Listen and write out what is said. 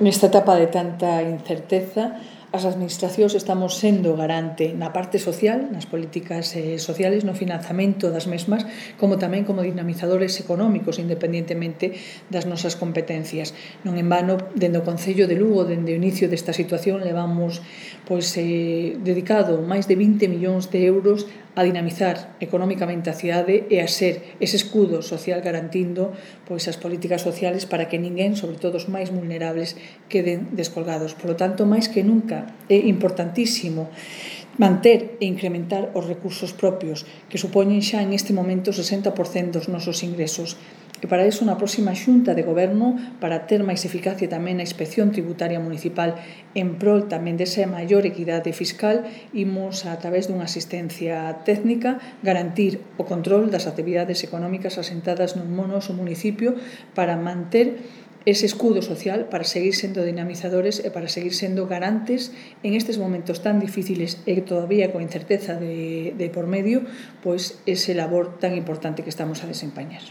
Nesta etapa de tanta incerteza, as administracións estamos sendo garante na parte social, nas políticas sociales, no financiamento das mesmas, como tamén como dinamizadores económicos, independentemente das nosas competencias. Non en vano, dende o Concello de Lugo, dende o inicio desta situación, levamos dedicado máis de 20 millóns de euros a dinamizar económicamente a cidade e a ser ese escudo social garantindo as políticas sociales para que ninguén, sobre todo os máis vulnerables, queden descolgados. Por lo tanto, máis que nunca, é importantísimo manter e incrementar os recursos propios que supoñen xa en este momento o 60% dos nosos ingresos. E para iso, na próxima xunta de goberno, para ter máis eficacia tamén na inspección tributaria municipal en prol tamén desa maior equidade fiscal, imos, a través dunha asistencia técnica, garantir o control das actividades económicas asentadas nun noso municipio para manter ese escudo social, para seguir sendo dinamizadores e para seguir sendo garantes en estes momentos tan difíciles e todavía con incerteza de por medio, ese labor tan importante que estamos a desempeñar.